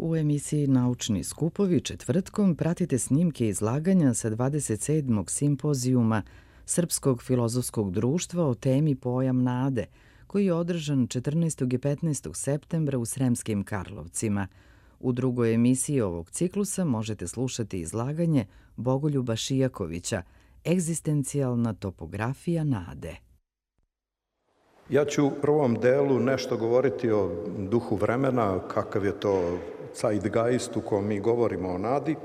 U emisiji Naučni skupovi četvrtkom pratite snimke izlaganja sa 27. simpozijuma Srpskog filozofskog društva o temi Pojam nade, koji je održan 14. i 15. septembra u Sremskim Karlovcima. U drugoj emisiji ovog ciklusa možete slušati izlaganje Bogoljuba Šijakovića Egzistencijalna topografija nade. Ja ću u prvom delu nešto govoriti o duhu vremena, kakav je to zeitgeist u kojem mi govorimo o nadi.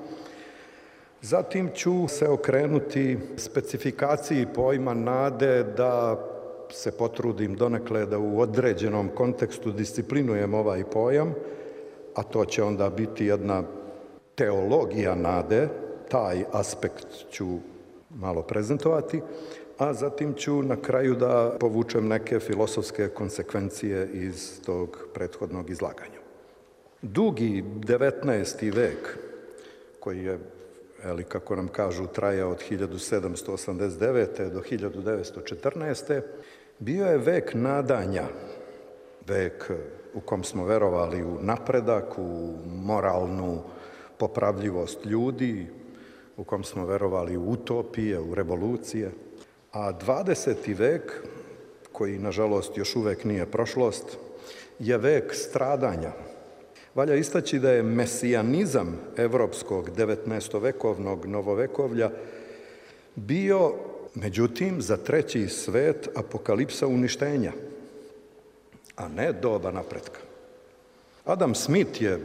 Zatim ću se okrenuti specifikaciji pojma nade, da se potrudim donekle da u određenom kontekstu disciplinujem ovaj pojam, a to će onda biti jedna teologija nade, taj aspekt ću malo prezentovati, a zatim ću na kraju da povučem neke filosofske konsekvencije iz tog prethodnog izlaganja. Dugi 19. vek, koji je, kako nam kažu, trajao od 1789. do 1914. bio je vek nadanja, vek u kom smo verovali u napredak, u moralnu popravljivost ljudi, u kom smo verovali u utopije, u revolucije. A 20. vek, koji nažalost još uvek nije prošlost, je vek stradanja. Valja istaći da je mesijanizam evropskog 19-vekovnog novovekovlja bio, međutim, za treći svet apokalipsa uništenja, a ne doba napretka. Adam Smith je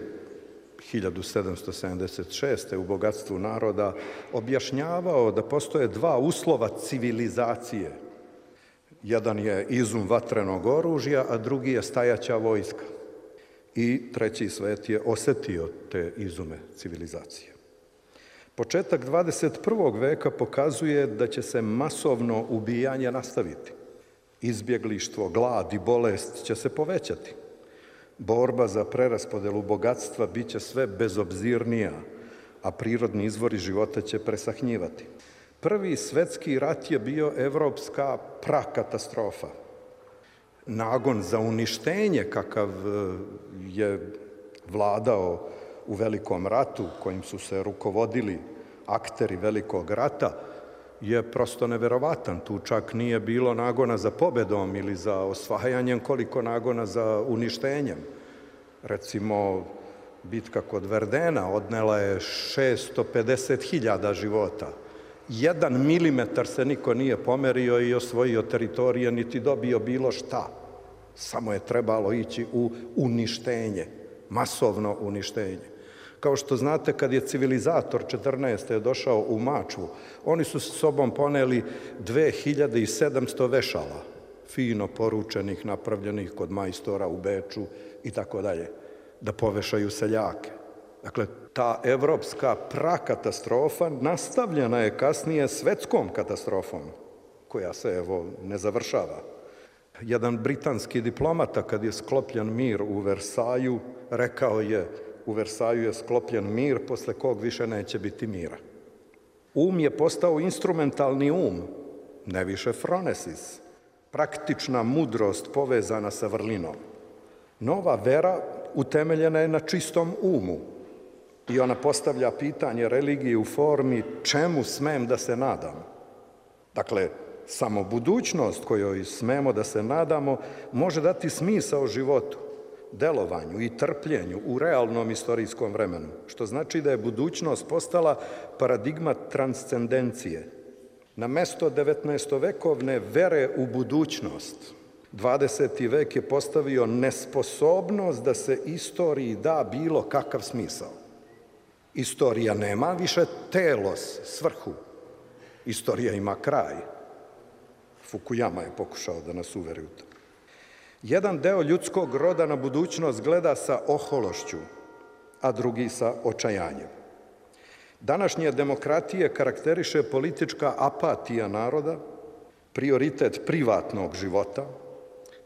1776. u Bogatstvu naroda objašnjavao da postoje dva uslova civilizacije. Jedan je izum vatrenog oružja, a drugi je stajaća vojska. I treći svet je osetio te izume civilizacije. Početak 21. veka pokazuje da će se masovno ubijanje nastaviti. Izbjeglištvo, glad i bolest će se povećati. Borba za preraspodelu bogatstva bit će sve bezobzirnija, a prirodni izvori života će presahnjivati. Prvi svetski rat je bio evropska prakatastrofa. Nagon za uništenje kakav je vladao u Velikom ratu, kojim su se rukovodili akteri Velikog rata, je prosto neverovatan. Tu čak nije bilo nagona za pobedom ili za osvajanjem, koliko nagona za uništenjem. Recimo, bitka kod Verdena odnela je 650.000 života. 1 milimetar se niko nije pomerio i osvojio teritorije, niti dobio bilo šta. Samo je trebalo ići u uništenje, masovno uništenje. Kao što znate, kad je civilizator 14. došao u Mačvu, oni su s sobom poneli 2700 vešala, fino poručenih, napravljenih kod majstora u Beču i tako dalje, da povešaju seljake. Dakle, ta evropska prakatastrofa nastavljena je kasnije svetskom katastrofom, koja se, ne završava. Jedan britanski diplomata, kad je sklopljen mir u Versaju, rekao je: u Versaju je sklopljen mir, posle kog više neće biti mira. Um je postao instrumentalni um, ne više phronesis, praktična mudrost povezana sa vrlinom. Nova vera utemeljena je na čistom umu i ona postavlja pitanje religije u formi čemu smem da se nadam. Dakle, samo budućnost kojoj smemo da se nadamo može dati smisao životu, delovanju i trpljenju u realnom istorijskom vremenu, što znači da je budućnost postala paradigma transcendencije. Na mesto 19-vekovne vere u budućnost, 20. vek je postavio nesposobnost da se istoriji da bilo kakav smisao. Istorija nema više telos, svrhu. Istorija ima kraj. Fukuyama je pokušao da nas uveri u to. Jedan deo ljudskog roda na budućnost gleda sa ohološću, a drugi sa očajanjem. Današnje demokratije karakteriše politička apatija naroda, prioritet privatnog života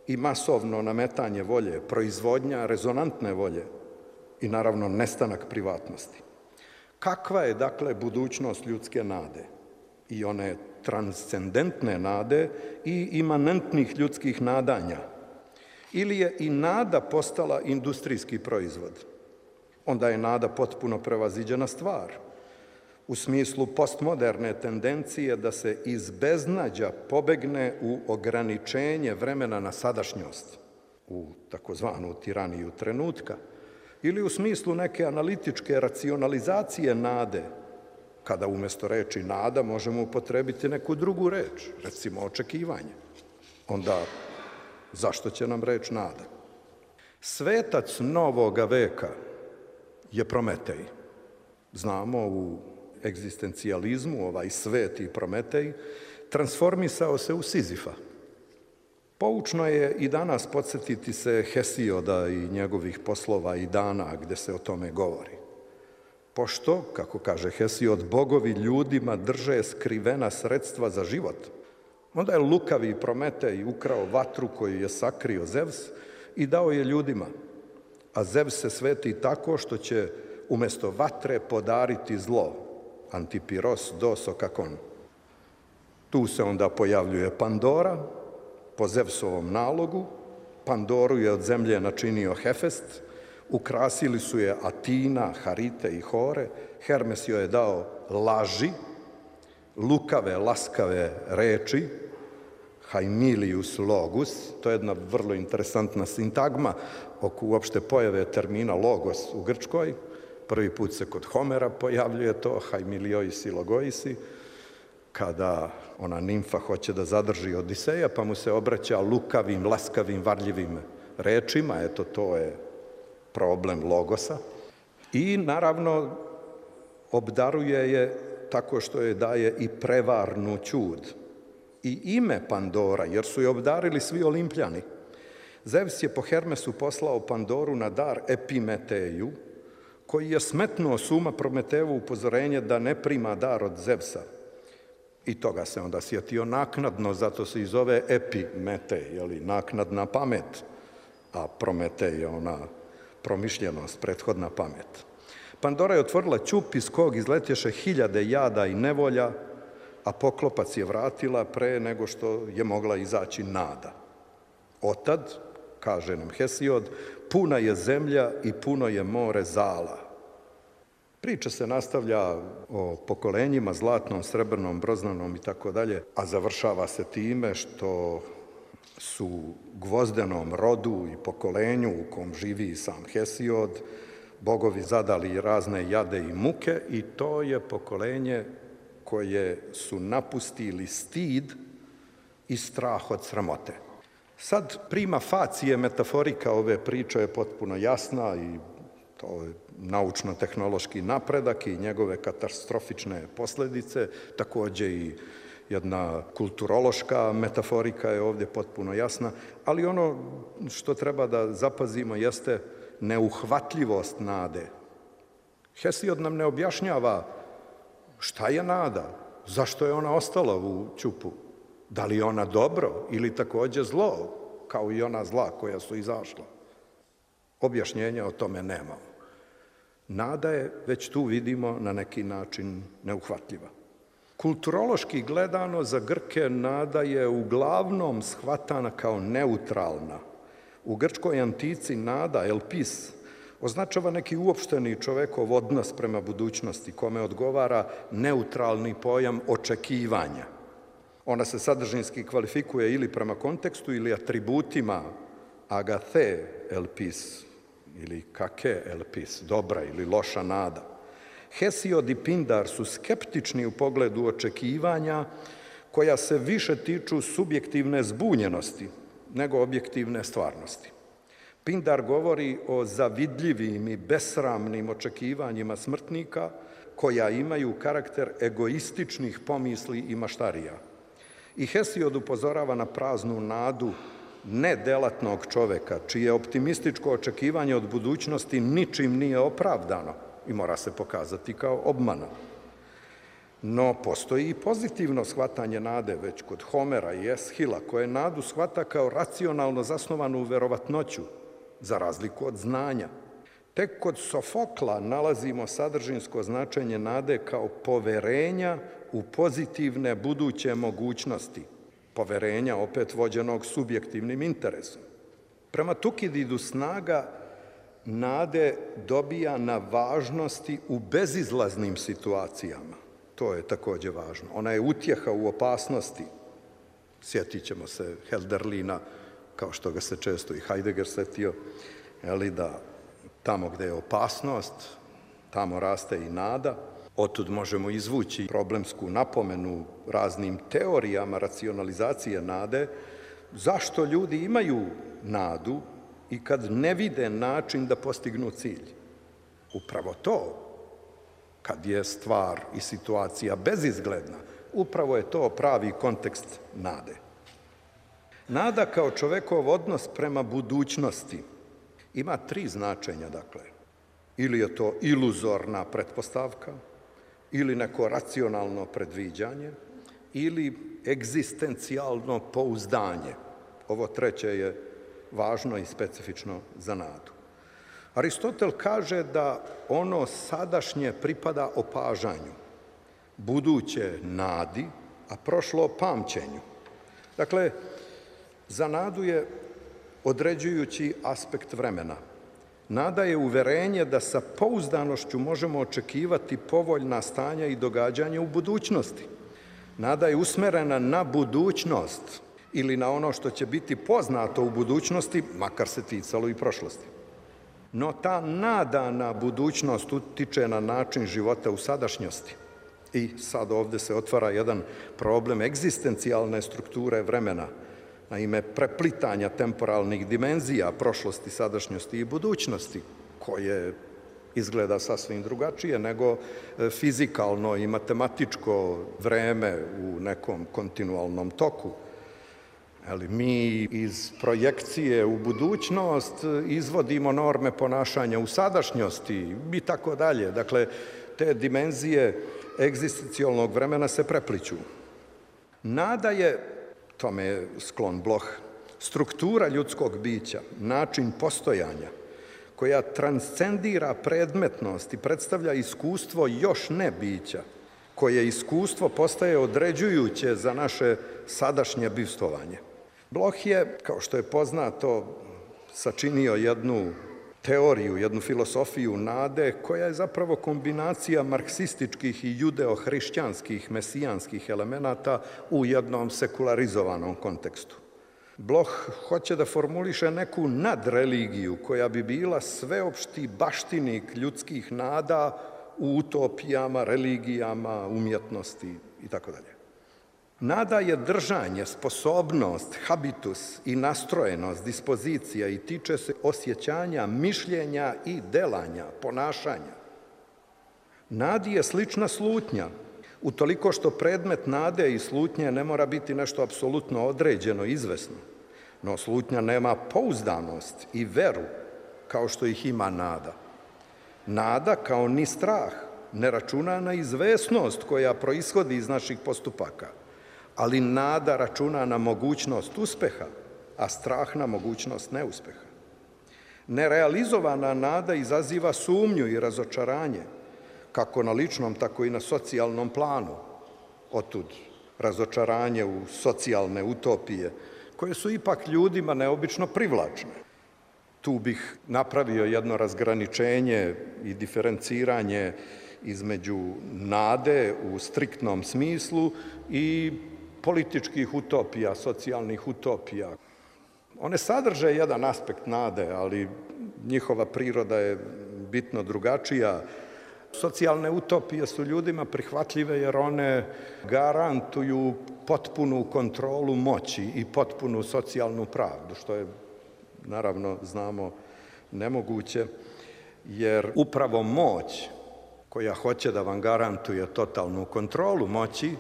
i masovno nametanje volje, proizvodnja rezonantne volje i naravno nestanak privatnosti. Kakva je, dakle, budućnost ljudske nade i one transcendentne nade i imanentnih ljudskih nadanja? Ili je i nada postala industrijski proizvod? onda je nada potpuno prevaziđena stvar. U smislu postmoderne tendencije da se iz beznađa pobegne u ograničenje vremena na sadašnjost, u takozvanu tiraniju trenutka, ili u smislu neke analitičke racionalizacije nade, kada umjesto reči nada možemo upotrebiti neku drugu reč, recimo očekivanje. Onda zašto će nam reč nada? Svetac novoga veka je Prometej. Znamo, u egzistencijalizmu ovaj sveti Prometej transformisao se u Sizifa. Poučno je i danas podsjetiti se Hesioda i njegovih poslova i dana gde se o tome govori. Pošto, kako kaže Hesiod, bogovi ljudima drže skrivena sredstva za život, onda je lukavi Prometej ukrao vatru koju je sakrio Zevs i dao je ljudima, a Zevs se sveti tako što će umjesto vatre podariti zlo, antipiros dosokakon. Tu se onda pojavljuje Pandora, po Zevsovom nalogu. Pandoru je od zemlje načinio Hefest, ukrasili su je Atina, Harite i Hore, Hermes joj je dao laži, lukave, laskave reči, haimilius logus, to je jedna vrlo interesantna sintagma oko uopšte pojave termina logos u Grčkoj. Prvi put se kod Homera pojavljuje to, haimiliois i logoisi, kada ona nimfa hoće da zadrži Odiseja, pa mu se obraća lukavim, laskavim, varljivim rečima, eto to je problem logosa. I naravno obdaruje je tako što je daje i prevarnu ćud. I ime Pandora, jer su je obdarili svi Olimpljani. Zevs je po Hermesu poslao Pandoru na dar Epimeteju, koji je smetnuo s uma Prometejevo upozorenje da ne prima dar od Zevsa. I toga se onda sjetio naknadno, zato se i zove Epimetej, naknadna pamet, a Prometej je ona promišljenost, prethodna pamet. Pandora je otvorila ćup iz kog izletješe 1000 jada i nevolja, a poklopac je vratila pre nego što je mogla izaći nada. Otad, kaže nam Hesiod, puna je zemlja i puno je more zala. Priča se nastavlja o pokolenjima, zlatnom, srebrnom, broznanom i tako dalje, a završava se time što su gvozdenom rodu i pokolenju u kom živi sam Hesiod bogovi zadali razne jade i muke i to je pokolenje koje su napustili stid i strah od sramote. Sad prima facije metaforika ove priče je potpuno jasna i to je naučno-tehnološki napredak i njegove katastrofične posljedice, takođe i jedna kulturološka metaforika je ovdje potpuno jasna, ali ono što treba da zapazimo jeste neuhvatljivost nade. Hesiod nam ne objašnjava šta je nada, zašto je ona ostala u ćupu, da li je ona dobro ili takođe zlo, kao i ona zla koja su izašla. Objašnjenja o tome nemamo. Nada je, već tu vidimo, na neki način neuhvatljiva. Kulturološki gledano, za Grke nada je uglavnom shvatana kao neutralna. U grčkoj antici nada, elpis, označava neki uopšteni čovekov odnos prema budućnosti, kome odgovara neutralni pojam očekivanja. Ona se sadržinski kvalifikuje ili prema kontekstu ili atributima agathe elpis ili kake elpis, dobra ili loša nada. Hesiod i Pindar su skeptični u pogledu očekivanja koja se više tiču subjektivne zbunjenosti nego objektivne stvarnosti. Pindar govori o zavidljivim i besramnim očekivanjima smrtnika koja imaju karakter egoističnih pomisli i maštarija. I Hesiod upozorava na praznu nadu nedelatnog čoveka, čije optimističko očekivanje od budućnosti ničim nije opravdano i mora se pokazati kao obmana. No, postoji i pozitivno shvatanje nade, već kod Homera i Eshila, koje nadu shvata kao racionalno zasnovanu verovatnoću, za razliku od znanja. Tek kod Sofokla nalazimo sadržinsko značenje nade kao poverenja u pozitivne buduće mogućnosti, poverenja opet vođenog subjektivnim interesom. Prema Tukididu snaga nade dobija na važnosti u bezizlaznim situacijama. To je takođe važno. Ona je utjeha u opasnosti. Sjetit ćemo se Hölderlina, kao što ga se često i Heidegger setio, da tamo gde je opasnost, tamo raste i nada. Otud možemo izvući problemsku napomenu raznim teorijama racionalizacije nade, zašto ljudi imaju nadu i kad ne vide način da postignu cilj. Upravo to, kad je stvar i situacija bezizgledna, upravo je to pravi kontekst nade. Nada kao čovekov odnos prema budućnosti ima 3 značenja, dakle. Ili je to iluzorna pretpostavka, ili neko racionalno predviđanje, ili egzistencijalno pouzdanje. Ovo treće je važno i specifično za nadu. Aristotel kaže da ono sadašnje pripada opažanju, buduće nadi, a prošlo pamćenju. Dakle, za nadu je određujući aspekt vremena. Nada je uverenje da sa pouzdanošću možemo očekivati povoljna stanja i događanja u budućnosti. Nada je usmerena na budućnost ili na ono što će biti poznato u budućnosti, makar se ticalo i prošlosti. No ta nada na budućnost utiče na način života u sadašnjosti. I sad ovde se otvara jedan problem egzistencijalne strukture vremena, naime preplitanja temporalnih dimenzija prošlosti, sadašnjosti i budućnosti, koje izgleda sasvim drugačije nego fizikalno i matematičko vreme u nekom kontinualnom toku. Mi iz projekcije u budućnost izvodimo norme ponašanja u sadašnjosti i tako dalje. Dakle, te dimenzije egzistencijalnog vremena se prepliću. Nada je, tome je sklon Bloch, struktura ljudskog bića, način postojanja, koja transcendira predmetnost i predstavlja iskustvo još ne bića, koje iskustvo postaje određujuće za naše sadašnje bivstvovanje. Bloch je, kao što je poznato, sačinio jednu teoriju, jednu filosofiju nade, koja je zapravo kombinacija marksističkih i judeo-hrišćanskih, mesijanskih elemenata u jednom sekularizovanom kontekstu. Bloch hoće da formuliše neku nadreligiju koja bi bila sveopšti baštinik ljudskih nada u utopijama, religijama, umjetnosti itd. Nada je držanje, sposobnost, habitus i nastrojenost, dispozicija i tiče se osjećanja, mišljenja i delanja, ponašanja. Nadi je slična slutnja, utoliko što predmet nade i slutnje ne mora biti nešto apsolutno određeno, izvesno, no slutnja nema pouzdanost i veru kao što ih ima nada. Nada, kao ni strah, ne računa na izvesnost koja proishodi iz naših postupaka, ali nada računa na mogućnost uspeha, a strah na mogućnost neuspeha. Nerealizovana nada izaziva sumnju i razočaranje, kako na ličnom, tako i na socijalnom planu. Otud razočaranje u socijalne utopije, koje su ipak ljudima neobično privlačne. Tu bih napravio jedno razgraničenje i diferenciranje između nade u striktnom smislu i političkih utopija, socijalnih utopija. One sadrže jedan aspekt nade, ali njihova priroda je bitno drugačija. Socijalne utopije su ljudima prihvatljive jer one garantuju potpunu kontrolu moći i potpunu socijalnu pravdu, što je, naravno, znamo, nemoguće, jer upravo moć koja hoće da vam garantuje totalnu kontrolu moći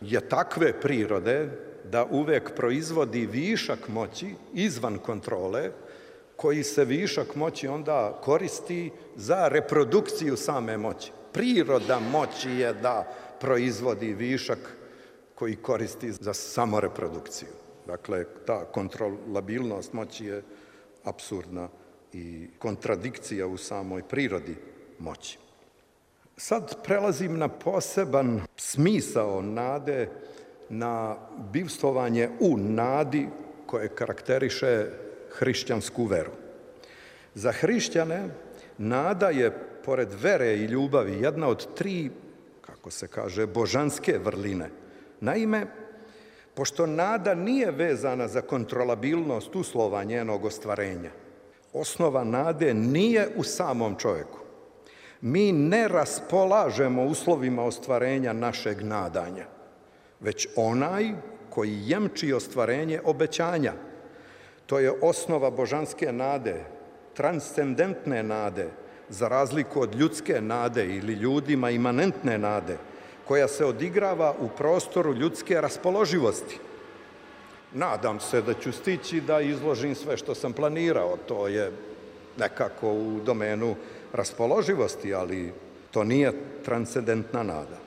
je takve prirode da uvek proizvodi višak moći izvan kontrole, koji se višak moći onda koristi za reprodukciju same moći. Priroda moći je da proizvodi višak koji koristi za samoreprodukciju. Dakle, ta kontrolabilnost moći je apsurdna i kontradikcija u samoj prirodi moći. Sad prelazim na poseban smisao nade, na bivstvovanje u nadi koje karakteriše hrišćansku veru. Za hrišćane nada je, pored vere i ljubavi, jedna od 3, kako se kaže, božanske vrline. Naime, pošto nada nije vezana za kontrolabilnost uslova njenog ostvarenja, osnova nade nije u samom čovjeku. Mi ne raspolažemo uslovima ostvarenja našeg nadanja, već onaj koji jemči ostvarenje obećanja. To je osnova božanske nade, transcendentne nade, za razliku od ljudske nade ili ljudima imanentne nade, koja se odigrava u prostoru ljudske raspoloživosti. Nadam se da ću stići da izložim sve što sam planirao. To je nekako u domenu raspoloživosti, ali to nije transcendentna nada.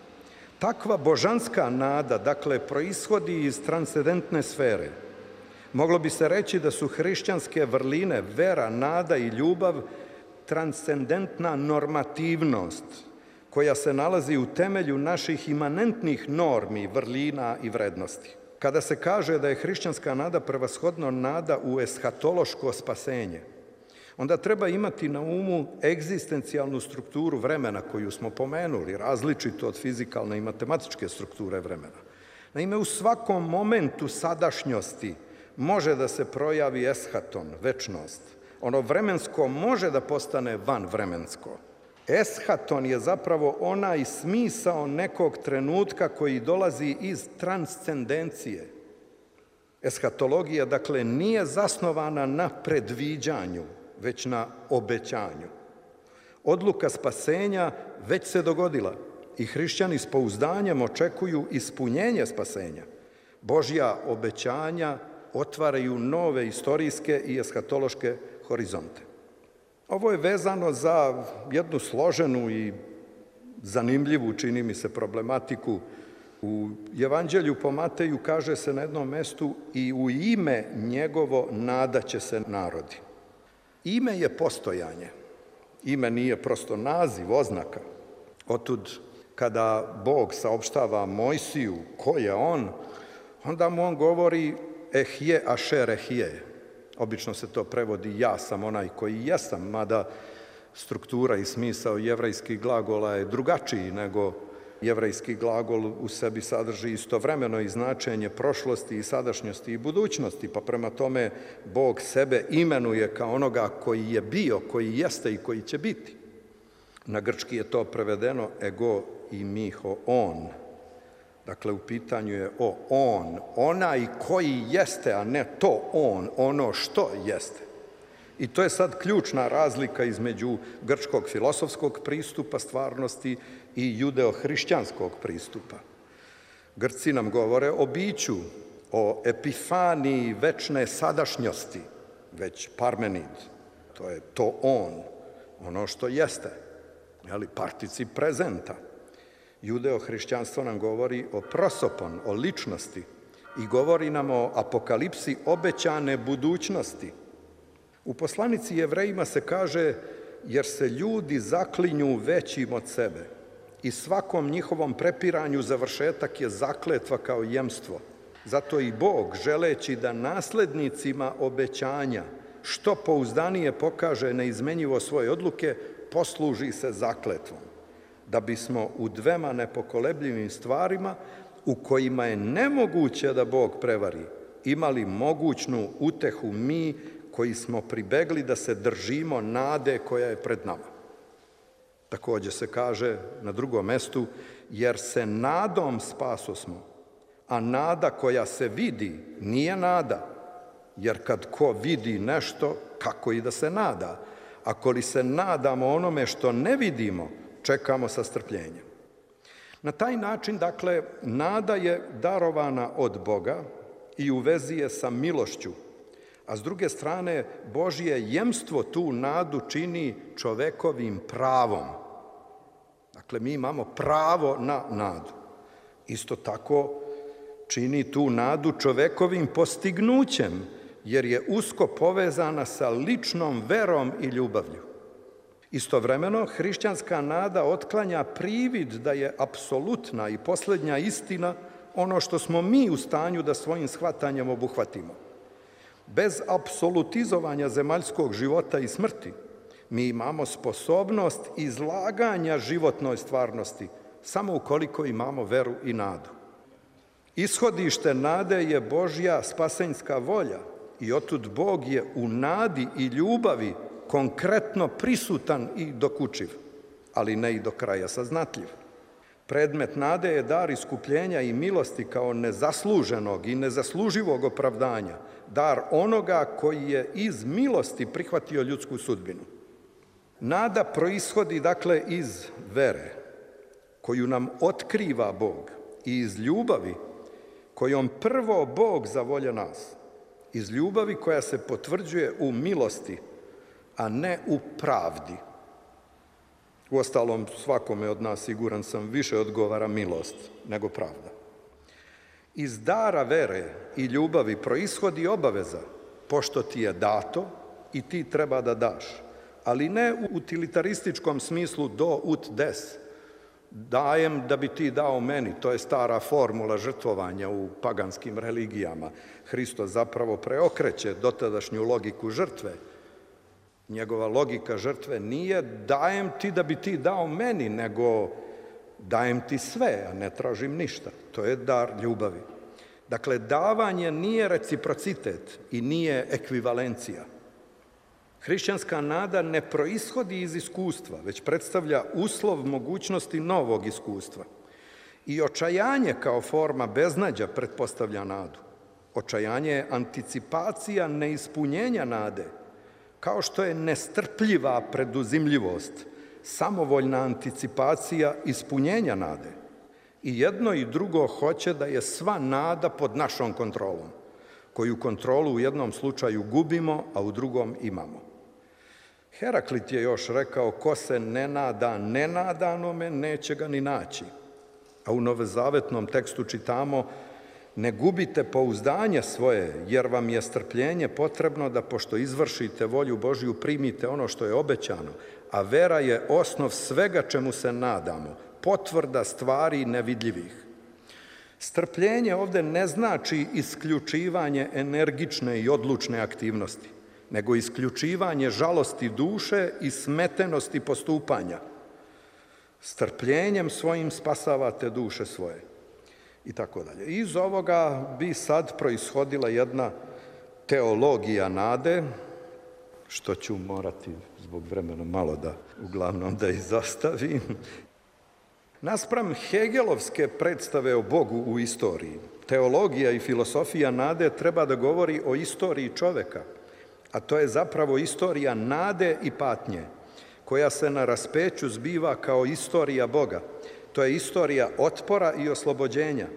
Takva božanska nada, dakle, proishodi iz transcendentne sfere. Moglo bi se reći da su hrišćanske vrline, vera, nada i ljubav, transcendentna normativnost koja se nalazi u temelju naših imanentnih normi, vrlina i vrednosti. Kada se kaže da je hrišćanska nada prevashodno nada u eshatološko spasenje, onda treba imati na umu egzistencijalnu strukturu vremena koju smo pomenuli, različito od fizikalne i matematičke strukture vremena. Naime, u svakom momentu sadašnjosti može da se projavi eshaton, večnost. Ono vremensko može da postane vanvremensko. Eshaton je zapravo onaj smisao nekog trenutka koji dolazi iz transcendencije. Eshatologija, dakle, nije zasnovana na predviđanju, već na obećanju. Odluka spasenja već se dogodila i hrišćani s pouzdanjem očekuju ispunjenje spasenja. Božja obećanja otvaraju nove istorijske i eshatološke horizonte. Ovo je vezano za jednu složenu i zanimljivu, čini mi se, problematiku. U Evanđelju po Mateju kaže se na jednom mestu: i u ime njegovo nadaće se narodi. Ime je postojanje. Ime nije prosto naziv, oznaka. Otud, kada Bog saopštava Mojsiju ko je on, onda mu on govori ehje ašer ehje. Obično se to prevodi ja sam onaj koji jesam, mada struktura i smisao jevrejskih glagola je drugačiji nego jevrejski glagol u sebi sadrži istovremeno i značenje prošlosti i sadašnjosti i budućnosti, pa prema tome Bog sebe imenuje kao onoga koji je bio, koji jeste i koji će biti. Na grčki je to prevedeno ego i miho on. Dakle, u pitanju je on, onaj koji jeste, a ne to on, ono što jeste. I to je sad ključna razlika između grčkog filosofskog pristupa stvarnosti i judeo-hrišćanskog pristupa. Grci nam govore o biću, o epifaniji večne sadašnjosti, već Parmenid, to je to on, ono što jeste, particip prezenta. Judeo-hrišćanstvo nam govori o prosopon, o ličnosti i govori nam o apokalipsi obećane budućnosti. U poslanici Jevrejima se kaže: jer se ljudi zaklinju većim od sebe i svakom njihovom prepiranju završetak je zakletva kao jemstvo. Zato i Bog, želeći da naslednicima obećanja što pouzdanije pokaže neizmenjivo svoje odluke, posluži se zakletvom, da bismo u dvema nepokolebljivim stvarima, u kojima je nemoguće da Bog prevari, imali mogućnu utehu mi koji smo pribegli da se držimo nade koja je pred nama. Također se kaže na drugom mestu: jer se nadom spasosmo, a nada koja se vidi nije nada, jer kad ko vidi nešto, kako i da se nada? Ako li se nadamo onome što ne vidimo, čekamo sa strpljenjem. Na taj način, dakle, nada je darovana od Boga i u vezi je sa milošću, a s druge strane Božje jemstvo tu nadu čini čovekovim pravom. Dakle, mi imamo pravo na nadu. Isto tako čini tu nadu čovekovim postignućem, jer je usko povezana sa ličnom verom i ljubavlju. Istovremeno, hrišćanska nada otklanja privid da je apsolutna i posljednja istina ono što smo mi u stanju da svojim shvatanjem obuhvatimo. Bez apsolutizovanja zemaljskog života i smrti, mi imamo sposobnost izlaganja životnoj stvarnosti, samo ukoliko imamo veru i nadu. Ishodište nade je Božja spasenjska volja i otud Bog je u nadi i ljubavi konkretno prisutan i dokučiv, ali ne i do kraja saznatljiv. Predmet nade je dar iskupljenja i milosti kao nezasluženog i nezasluživog opravdanja, dar onoga koji je iz milosti prihvatio ljudsku sudbinu. Nada proishodi dakle iz vere, koju nam otkriva Bog, i iz ljubavi kojom prvo Bog zavolja nas, iz ljubavi koja se potvrđuje u milosti, a ne u pravdi. Uostalom, svakome od nas, siguran sam, više odgovara milost nego pravda. Iz dara vere i ljubavi proishodi obaveza, pošto ti je dato i ti treba da daš, ali ne u utilitarističkom smislu do ut des. Dajem da bi ti dao meni, to je stara formula žrtvovanja u paganskim religijama. Hristos zapravo preokreće dotadašnju logiku žrtve. Njegova logika žrtve nije dajem ti da bi ti dao meni, nego dajem ti sve, a ne tražim ništa. To je dar ljubavi. Dakle, davanje nije reciprocitet i nije ekvivalencija. Hrišćanska nada ne proishodi iz iskustva, već predstavlja uslov mogućnosti novog iskustva. I očajanje kao forma beznađa pretpostavlja nadu. Očajanje je anticipacija neispunjenja nade, kao što je nestrpljiva preduzimljivost, samovoljna anticipacija ispunjenja nade. I jedno i drugo hoće da je sva nada pod našom kontrolom, koju kontrolu u jednom slučaju gubimo, a u drugom imamo. Heraklit je još rekao, ko se ne nada nenadanome, neće ga ni naći. A u novozavetnom tekstu čitamo, ne gubite pouzdanje svoje, jer vam je strpljenje potrebno da, pošto izvršite volju Božju, primite ono što je obećano, a vera je osnov svega čemu se nadamo, potvrda stvari nevidljivih. Strpljenje ovde ne znači isključivanje energične i odlučne aktivnosti, nego isključivanje žalosti duše i smetenosti postupanja. Strpljenjem svojim spasavate duše svoje. I tako dalje. Iz ovoga bi sad proishodila jedna teologija nade, što ću morati zbog vremena malo uglavnom da izostavim. Naspram hegelovske predstave o Bogu u istoriji, teologija i filosofija nade treba da govori o istoriji čoveka, a to je zapravo istorija nade i patnje, koja se na raspeću zbiva kao istorija Boga. To je istorija otpora i oslobođenja.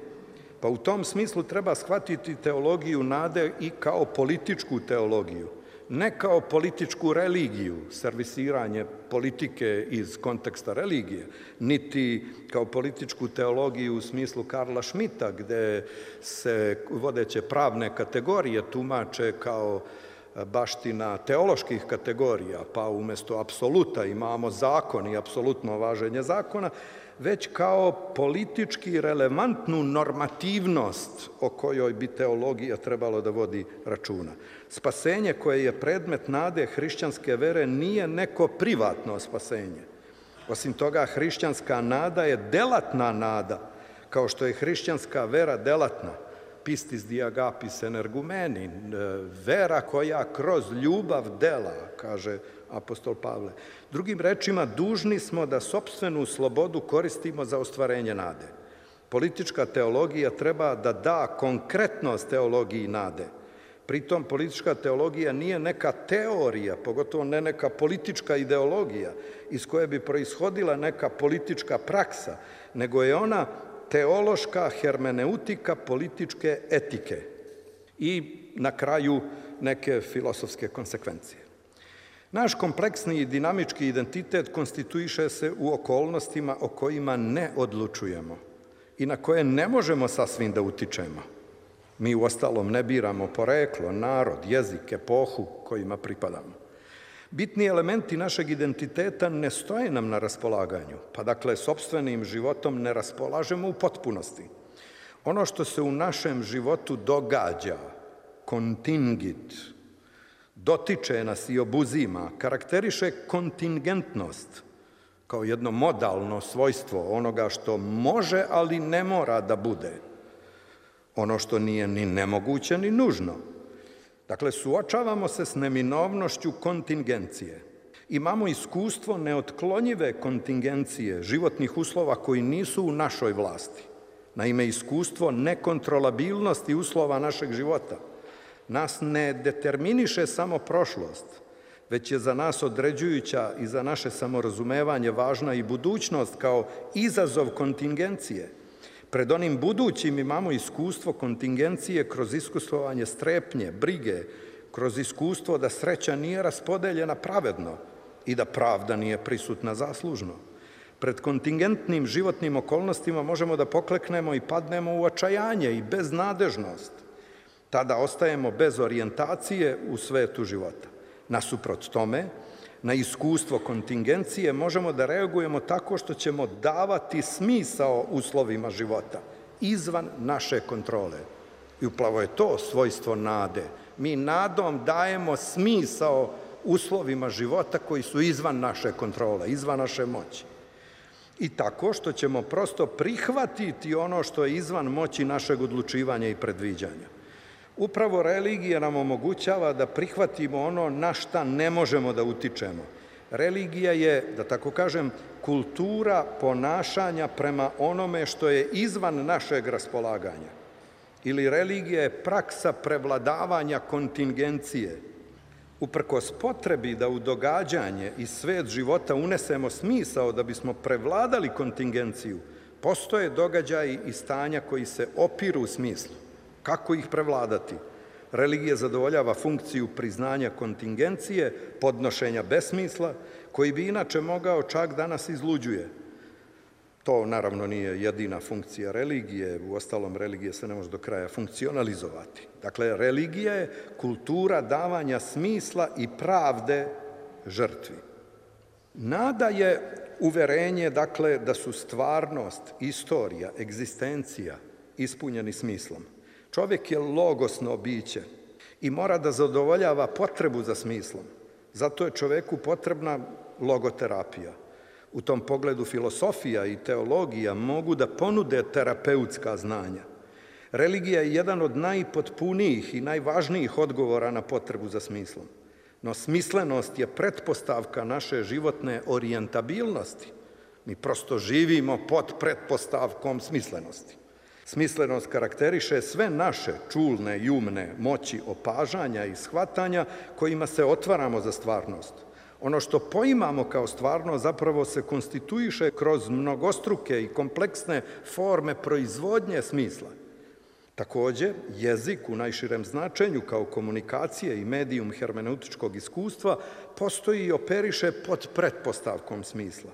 Pa u tom smislu treba shvatiti teologiju nade i kao političku teologiju, ne kao političku religiju, servisiranje politike iz konteksta religije, niti kao političku teologiju u smislu Karla Schmidta, gde se vodeće pravne kategorije tumače kao baština teoloških kategorija, pa umjesto apsoluta imamo zakon i apsolutno važenje zakona, već kao politički relevantnu normativnost o kojoj bi teologija trebalo da vodi računa. Spasenje koje je predmet nade hrišćanske vere nije neko privatno spasenje. Osim toga, hrišćanska nada je delatna nada, kao što je hrišćanska vera delatna. Pistis di agapis energumeni, vera koja kroz ljubav dela, kaže apostol Pavle. Drugim rečima, dužni smo da sopstvenu slobodu koristimo za ostvarenje nade. Politička teologija treba da da konkretnost teologiji nade. Pritom, politička teologija nije neka teorija, pogotovo ne neka politička ideologija iz koje bi proishodila neka politička praksa, nego je ona teološka hermeneutika političke etike i na kraju neke filosofske konsekvencije. Naš kompleksni i dinamički identitet konstituiše se u okolnostima o kojima ne odlučujemo i na koje ne možemo sasvim da utičemo. Mi uostalom ne biramo poreklo, narod, jezik, epohu kojima pripadamo. Bitni elementi našeg identiteta ne stoje nam na raspolaganju, pa dakle, sopstvenim životom ne raspolažemo u potpunosti. Ono što se u našem životu događa, kontingit, dotiče nas i obuzima, karakteriše kontingentnost kao jedno modalno svojstvo onoga što može, ali ne mora da bude. Ono što nije ni nemoguće, ni nužno. Dakle, suočavamo se s neminovnošću kontingencije. Imamo iskustvo neotklonjive kontingencije životnih uslova koji nisu u našoj vlasti. Naime, iskustvo nekontrolabilnosti uslova našeg života nas ne determiniše samo prošlost, već je za nas određujuća i za naše samorazumevanje važna i budućnost kao izazov kontingencije. Pred onim budućim imamo iskustvo kontingencije kroz iskustvovanje strepnje, brige, kroz iskustvo da sreća nije raspodeljena pravedno i da pravda nije prisutna zaslužno. Pred kontingentnim životnim okolnostima možemo da pokleknemo i padnemo u očajanje i beznadežnost. Tada ostajemo bez orijentacije u svetu života. Nasuprot tome, na iskustvo kontingencije možemo da reagujemo tako što ćemo davati smisao uslovima života, izvan naše kontrole. I upravo je to svojstvo nade. Mi nadom dajemo smisao uslovima života koji su izvan naše kontrole, izvan naše moći. I tako što ćemo prosto prihvatiti ono što je izvan moći našeg odlučivanja i predviđanja. Upravo religija nam omogućava da prihvatimo ono na šta ne možemo da utičemo. Religija je, da tako kažem, kultura ponašanja prema onome što je izvan našeg raspolaganja. Ili religija je praksa prevladavanja kontingencije. Uprkos potrebi da u događanje i svet života unesemo smisao da bismo prevladali kontingenciju, postoje događaji i stanja koji se opiru u smislu. Kako ih prevladati? Religija zadovoljava funkciju priznanja kontingencije, podnošenja besmisla, koji bi inače mogao čak da nas izluđuje. To naravno nije jedina funkcija religije, uostalom religija se ne može do kraja funkcionalizovati. Dakle, religija je kultura davanja smisla i pravde žrtvi. Nada je uverenje, dakle, da su stvarnost, istorija, egzistencija ispunjeni smislom. Čovjek je logosno biće i mora da zadovoljava potrebu za smislom. Zato je čoveku potrebna logoterapija. U tom pogledu filosofija i teologija mogu da ponude terapeutska znanja. Religija je jedan od najpotpunijih i najvažnijih odgovora na potrebu za smislom. No smislenost je pretpostavka naše životne orijentabilnosti. Mi prosto živimo pod pretpostavkom smislenosti. Smislenost karakteriše sve naše čulne i umne moći opažanja i shvatanja kojima se otvaramo za stvarnost. Ono što poimamo kao stvarno zapravo se konstituiše kroz mnogostruke i kompleksne forme proizvodnje smisla. Takođe, jezik u najširem značenju kao komunikacije i medijum hermeneutičkog iskustva postoji i operiše pod pretpostavkom smisla.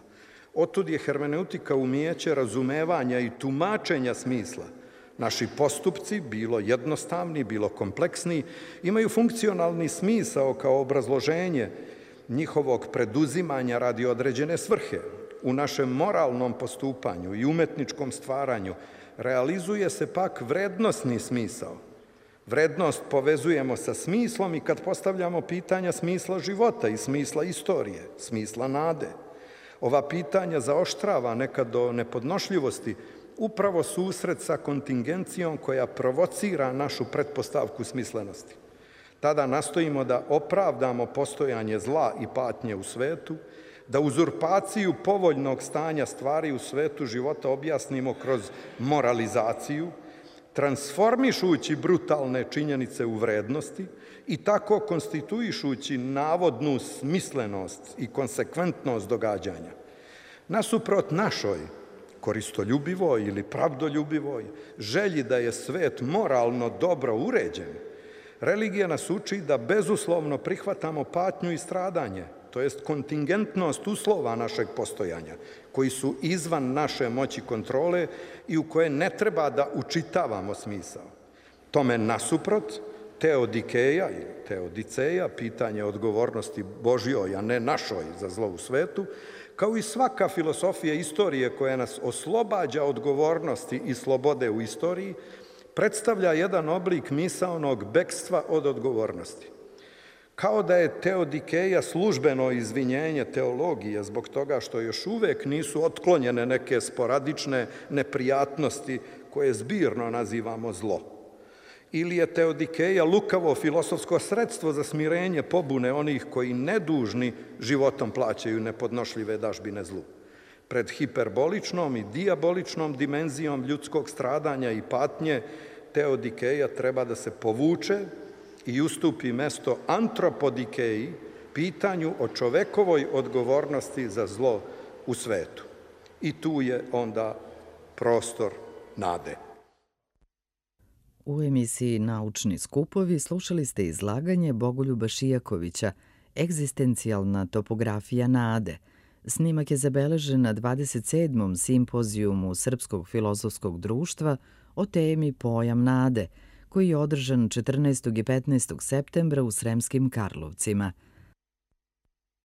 Otud je hermeneutika umijeće razumevanja i tumačenja smisla. Naši postupci, bilo jednostavni, bilo kompleksni, imaju funkcionalni smisao kao obrazloženje njihovog preduzimanja radi određene svrhe. U našem moralnom postupanju i umetničkom stvaranju realizuje se pak vrednosni smisao. Vrednost povezujemo sa smislom i kad postavljamo pitanja smisla života i smisla istorije, smisla nade. Ova pitanja zaoštrava nekad do nepodnošljivosti upravo susret sa kontingencijom koja provocira našu pretpostavku smislenosti. Tada nastojimo da opravdamo postojanje zla i patnje u svetu, da uzurpaciju povoljnog stanja stvari u svetu života objasnimo kroz moralizaciju, transformišući brutalne činjenice u vrednosti i tako konstituišući navodnu smislenost i konsekventnost događanja. Nasuprot našoj koristoljubivoj ili pravdoljubivoj želji da je svet moralno dobro uređen, religija nas uči da bezuslovno prihvatamo patnju i stradanje, to jest kontingentnost uslova našeg postojanja, koji su izvan naše moći kontrole i u koje ne treba da učitavamo smisao. Tome nasuprot, teodikeja ili teodiceja, pitanje odgovornosti Božjoj, a ne našoj za zlo u svetu, kao i svaka filosofija istorije koja nas oslobađa odgovornosti i slobode u istoriji, predstavlja jedan oblik misaonog bekstva od odgovornosti. Kao da je teodikeja službeno izvinjenje teologije zbog toga što još uvek nisu otklonjene neke sporadične neprijatnosti koje zbirno nazivamo zlo. Ili je teodikeja lukavo filosofsko sredstvo za smirenje pobune onih koji nedužni životom plaćaju nepodnošljive dažbine zlu. Pred hiperboličnom i dijaboličnom dimenzijom ljudskog stradanja i patnje, teodikeja treba da se povuče i ustupi mesto antropodikeji, pitanju o čovekovoj odgovornosti za zlo u svetu. I tu je onda prostor nade. U emisiji Naučni skupovi slušali ste izlaganje Bogoljuba Šijakovića Egzistencijalna topografija nade. Snimak je zabeležen na 27. simpozijumu Srpskog filozofskog društva o temi Pojam nade, koji je održan 14. i 15. septembra u Sremskim Karlovcima.